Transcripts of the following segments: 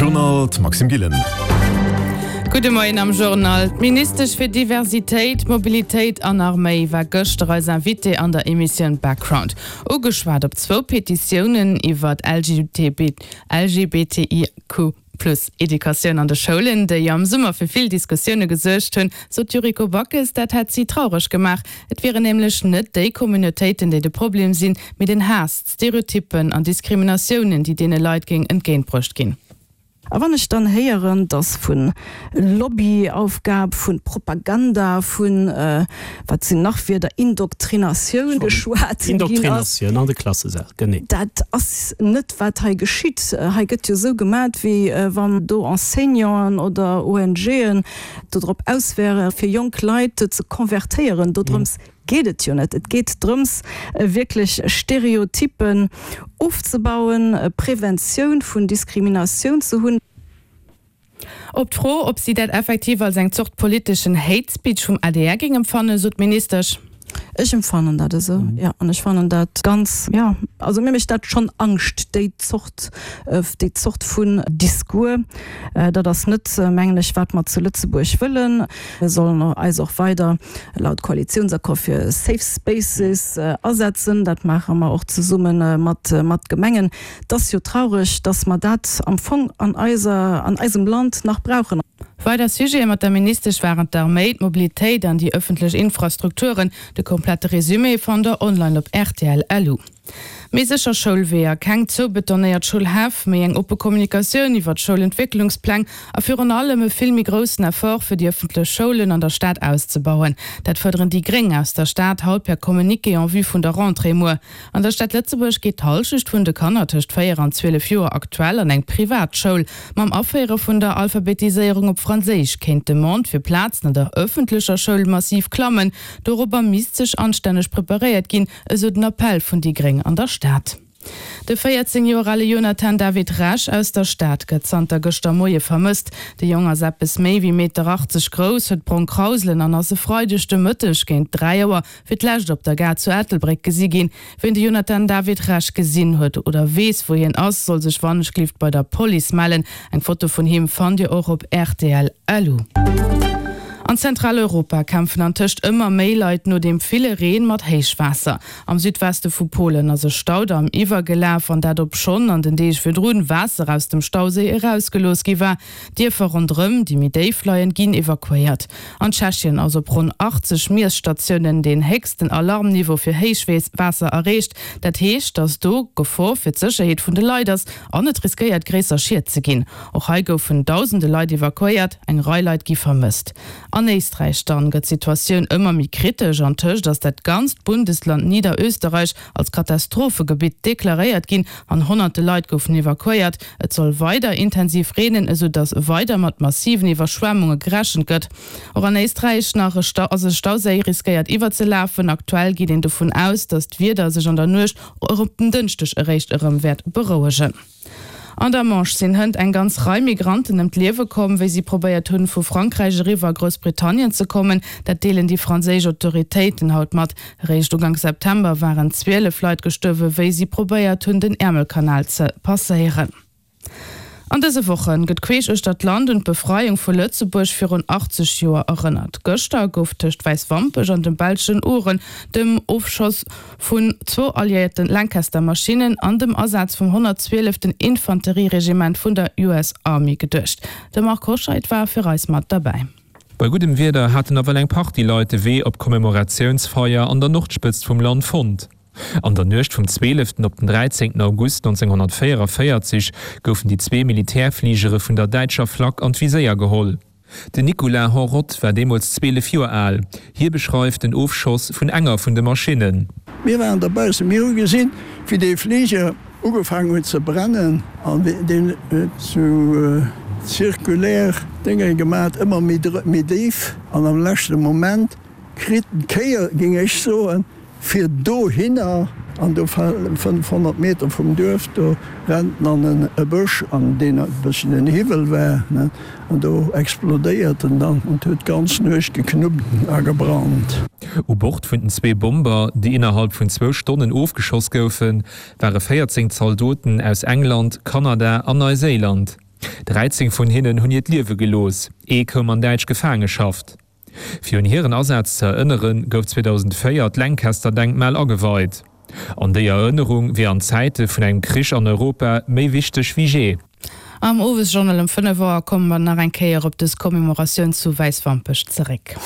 Journal, d'Maxime Gillen. Gudde Moien am Journal. D'Ministesch fir Diversitéit, Mobilitéit an Arméi war gëschter eis Invitée an der Emissioun Background. Ugeschwat op zwou Petitiounen iwwer LGBTIQ. Plus Educatioun an de Schoulen, déi am Summer fir vill Diskussioune gesuergt hunn, sot d'Yuriko Backes, dat hätt si traureg gemaach. Et wieren nämlech net déi Communautéiten, déi de Problem sinn, mee den Haass, d'Stereotyppen an Diskriminatiounen, déi deene Leit géing entgéintbruecht ginn. A wann ech dann héieren, dass vu Lobbyaufgab, vu Propaganda, vu, wat sinn nach Wierder, Indoktrinatioun geschwat ginn ass. Indoktrinatioun an de Klassesäll, genee. Dat ass net, wat hei geschitt. Hei gëtt jo esou gemat, wéi wann do Enseignanten oder ONGen dodrop aus wäre fir jonk Leit ze konvertéieren. Dodrëms geet et jo net. Et geet drëms, wierklech Stereotypen ofzebauen, Preventioun vun Diskriminatioun ze hunn. Op d'Fro, ob si dat effektiv als eng Zort politeschen Hate Speech vum adr géing empfannen, sot d'Ministesch. Ech empfannen dat esou, jo. An ech fannen dat ganz, jo, also mir mécht dat schonn Angscht, déi Zort, déi Zort vun Discours. Dat ass net, mengen ech, wat mer zu Lëtzebuerg wëllen. Mir sollen eis och weider laut Koalitiounsaccord fir Safe Spaces asetzen. Dat maache mer och zesumme mat mat Gemengen. Et ass jo traureg, dass mer dat am Fong an eiser, an eisem Land nach brauchen. Weider Sujete mat der Ministesch waren d'Arméi, d'Mobilitéit an déi ëffentlech Infrastrukturen. De komplette Resumé fannt der online op rtl. Lu. Méi sécher Schoulweeër, keng zoubetonéiert Schoulhäff, méi eng oppe Kommunikatioun iwwer d'Schoulentwécklungspläng a virun allem e vill méi groussen Effort fir déi ëffentlech Schoulen an der Stad auszebauen. Dat fuerderen déi Gréng aus der Stad haut per Communiqué en vue vun der Rentrée muer. An der Stad Lëtzebuerg geet d'Hallschecht vun de Kanner tëscht 4 an 12 Joer aktuell an eng privat Schoul. Mam Aféiere vun der Alphabetiséierung op Franséisch kéint d'Demande fir Plazen an der ëffentlecher Schoul massiv klammen. Dorobber misst sech anstänneg preparéiert ginn, Esou den Appell vun déi Gréng an der Stad. De 14 Joer ale Jonathan David Rech aus der Stad gëtt zanter gëschter Moie vermësst. De Jong ass eppes méi wéi Meter 80 grouss, huet brong Krauselen an ass e Freideg de Mëtteg géint 3 Auer fir d'lescht op der Gare zu Ettelbréck gesi ginn. Wien de Jonathan David Rech gesinn huet oder weess wou hien ass, soll sech wannechglift bei der Police mellen. Eng Foto vun him fannt Dir och op rtl. An Zentraleuropa kämpfen antëscht ëmmer méi Leit no deem ville Reen mat Héichwaasser. Am Südweste vu Polen ass e Staudamm iwwergelaf, an dat obschonn an den Deeg virdrun Waasser aus dem Stauséi erausgelooss gi war. Dierfer ronderëm, déi méi déif leien, ginn evakuéiert. An Tschechien ass op ronn 80 Miesstatiounen deen héchsten Alarmniveau fir Héichwaasser erreecht. Dat heescht, datt do Gefor fir d'Sécherheet vun de Leit ass an et riskéiert gréisser Schied ze ginn. Och hei goufen dausende Leit evakuéiert, eng Rei Leit gi vermësst. An Éisträich dann gëtt d'Situatioun ëmmer méi kritesch. Antëscht ass dat ganzt Bundesland Niederösterreich als Katastrophegebitt deklaréiert ginn an honnerte Leit goufen evakuéiert. Et soll weider intensiv reenen, esou datt weider mat massiven Iwwerschwemmunge gerechent gëtt. Och an Éisträich nach ass e Stauséi riskéiert iwwerzelafen. Aktuell geet een dovun aus, datt d'Wieder sech an der Nuecht op den Dënschdeg eréischt erëm wäert berouegen. An der Manche sinn hënt eng ganz Rei Migranten ëm d'Liewe komm, wéi si probéiert hunn, vu Frankräich eriwwer a Groussbritannien ze kommen. Dat deelen déi franséisch Autoritéiten haut mat. Eréischt Uganks September waren 12 Leit gestuerwen, wéi si probéiert hunn, den Äermelkanal ze passéieren. An dëse Woche gëtt queesch uechter d'Land un d'Befreiung vu Lëtzebuerg virun 80 Joer erënnert. Gëschter gouf tëscht Wäiswampech an dem belschen Ouren dem Ofschoss vun zwou alliéierte Lancaster-Maschinnen an dem Asaz vum 112. Infanterieregiment vun der US Army geduecht. De Marc Hoscheid war fir eis mat derbäi. Bei guddem Wieder haten nawell eng Partie Leit de Wee op d'Commemoratiounsfeier an der Nordspëtzt vum Land fonnt. An der Nuecht vum 12. op den 13. August 1944 goufen déi zwee Militärfligere vun der däitscher Flak an d'Viséier geholl. Den Nicolas Henrotte war deemools 12 Joer al. Hie beschreift den Ofschoss vun enger vun de Maschinnen. Mir waren derbaussen, mir hu gesinn, wéi dee Fliger ugefaangen huet ze brennen an deen huet sou zirkulär Dénge gemat, ëmmer méi déif an am leschte Moment Kritt en d'Kéier, géing ech soen, fir dohinner, an do 500 Meter vum Duerf, do rennt en an e Bësch, an deen e bësschen en Hiwwel war, an do explodéiert en dann, an 't huet d'ganz Nuecht geknuppt a gebrannt. U Bord vun den zwee Bomber, déi innerhalb vun zwou Stonnen ofgeschoss goufen, ware 14 Zaldoten aus England, Kanada an Neiséiland. 13 vun hinnen hunn hiert Liewe gelooss, ee koum an däitsch Gefaangeschaft. Fir un hiren Asaz ze erënneren, gouf 2004 d'Lancaster-Denkmal ageweit. An déi Erënnerung wier an Zäite vun engem Krich an Europa méi wichteg wéi jee. Am Owesjournal um 5 Auer komme mer nach eng Kéier op dës Commemoratioun zu Wäiswampech zeréck.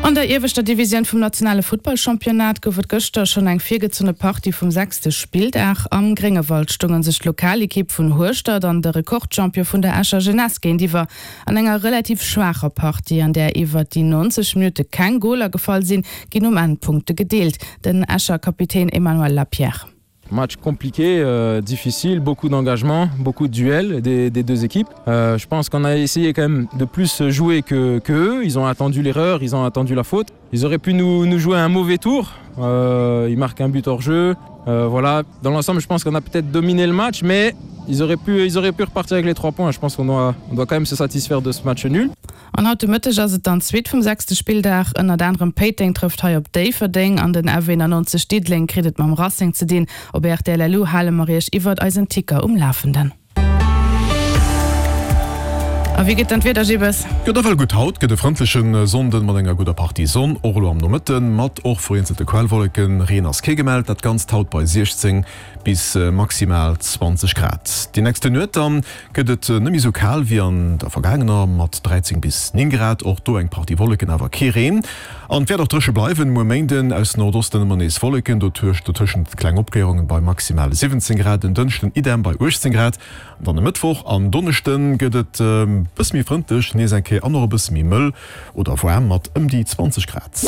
An der ieweschter Divisioun vum nationale Futtballchampionnat gouf et gëschter schonn eng virgezunne Partie vum sechste Spilldag. Am Gréngewald stounge sech d'Lokalekipp vun Hueschtert an de Rekordchampion vun der Escher Jeunesse géintiwwer. An enger relativ schwaacher Partie, an där iwwert déi 90 Minutte keng Goler gefall sinn, ginn um Enn d'Punkte gedeelt. Den Escher Kapitän Emmanuel Lapierre. Match compliqué, euh, difficile, beaucoup d'engagement, beaucoup de duels des, des deux équipes. Euh, je pense qu'on a essayé quand même de plus jouer que, que eux. Ils ont attendu l'erreur, ils ont attendu la faute. Ils auraient pu nous, nous jouer un mauvais tour. Euh, ils marquent un but hors jeu. Euh, voilà, dans l'ensemble, je pense qu'on a peut-être dominé le match, mais ils auraient pu, ils auraient pu repartir avec les trois points. Je pense qu'on doit, on doit quand même se satisfaire de ce match nul. An haut de Mëtteg ass et dann d'Suite vum sechste Spilldag. Ënnert anerem Péiteng trëfft hei op Déifferdeng an den F91 Diddeleng kritt et mam Racing ze dinn. Op rtl LU hale mer iech iwwert eisen Ticker um Lafenden. A wéi gëtt dann d'Wieder, Gibbes? Gëtt ewell gutt haut, gëtt e frëndleche Sonnden mat enger gudder Partie Sonn, och elo am Nomëtten, mat och vereenzelte Quellwolleken. Reen ass kee gemellt, dat Ganzt haut bei 16 bis maximal 20 Grad. Déi nächste Nuet dann gëtt et net méi sou kal wéi an der vergaangener mat 13 bis 9 Grad, och do eng Partie Wolleken, awer kee Reen. An et wäert och dréche bleiwen. Muer Méinden aus Nordosten ëmmer nees Wolleken, dotuerch dotëschent kleng Opkléierungen bei maximal 17 Grad. En Dënschden idem bei 18 Grad. An dann e Mëttwoch an Donneschde gëtt et e bësse méi frëndlech nees eng Kéier an och e bësse méi mëll oder waarm mat ëm déi 20 Grad.